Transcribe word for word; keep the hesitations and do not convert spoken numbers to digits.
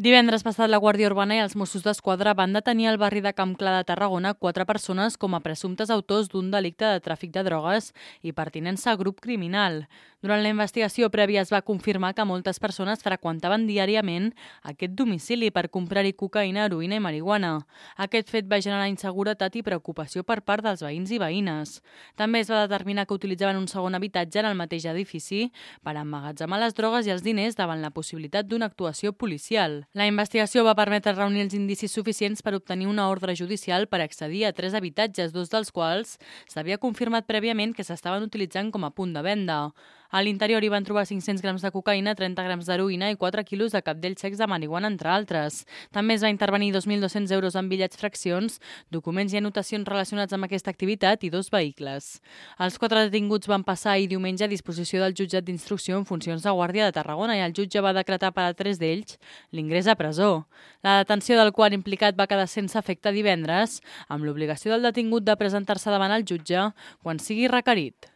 Divendres passat, la Guàrdia Urbana i els Mossos d'Esquadra van detenir al barri de Camp Clar de Tarragona quatre persones com a presumptes autors d'un delicte de tràfic de drogues i pertinença a grup criminal. Durant la investigació prèvia es va confirmar que moltes persones freqüentaven diàriament aquest domicili per comprar-hi cocaïna, heroïna i marihuana. Aquest fet va generar inseguretat i preocupació per part dels veïns i veïnes. També es va determinar que utilitzaven un segon habitatge en el mateix edifici per emmagatzemar les drogues i els diners davant la possibilitat d'una actuació policial. La investigació va permetre reunir els indicis suficients per obtenir una ordre judicial per accedir a tres habitatges, dos dels quals s'havia confirmat prèviament que s'estaven utilitzant com a punt de venda. A l'interior hi van trobar cinc-cents grams de cocaïna, trenta grams d'heroïna i quatre quilos de cabdells secs de marihuana, entre altres. També es va intervenir dos mil dos-cents euros en bitllets fraccions, documents i anotacions relacionats amb aquesta activitat i dos vehicles. Els quatre detinguts van passar ahir diumenge a disposició del jutjat d'instrucció en funcions de guàrdia de Tarragona i el jutge va decretar per a tres d'ells l'ingrés a presó. La detenció del quart implicat va quedar sense efecte divendres, amb l'obligació del detingut de presentar-se davant el jutge quan sigui requerit.